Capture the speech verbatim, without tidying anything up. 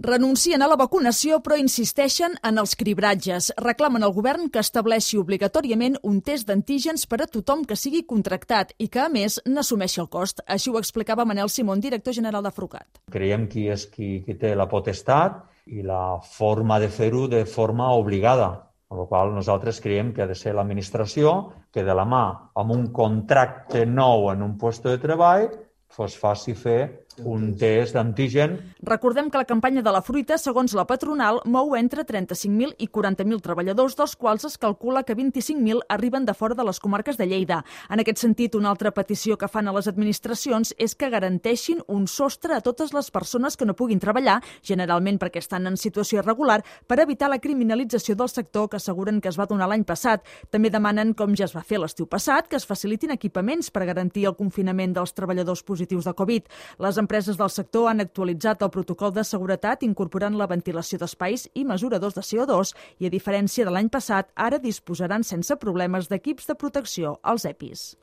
Renuncien a la vacunació però insisteixen en els cribratges. Reclamen al govern que estableixi obligatòriament un test d'antígens per a tothom que sigui contractat i que, a més, n'assumeixi el cost. Així ho explicava Manel Simón, director general de Frucat. Creiem que és qui, qui té la potestat i la forma de fer-ho de forma obligada. Amb la qual cosa nosaltres creiem que ha de ser l'administració que de la mà amb un contracte nou en un lloc de treball fos faci fer un test d'antigen. Recordem que la campanya de la fruita, segons la patronal, mou entre trenta-cinc mil i quaranta mil treballadors, dels quals es calcula que vint-i-cinc mil arriben de fora de les comarques de Lleida. En aquest sentit, una altra petició que fan a les administracions és que garanteixin un sostre a totes les persones que no puguin treballar, generalment perquè estan en situació irregular, per evitar la criminalització del sector que asseguren que es va donar l'any passat. També demanen, com ja es va fer l'estiu passat, que es facilitin equipaments per garantir el confinament dels treballadors positius de Covid. Les empreses del sector han actualitzat el protocol de seguretat incorporant la ventilació d'espais i mesuradors de C O dos i, a diferència de l'any passat, ara disposaran sense problemes d'equips de protecció als EPIs.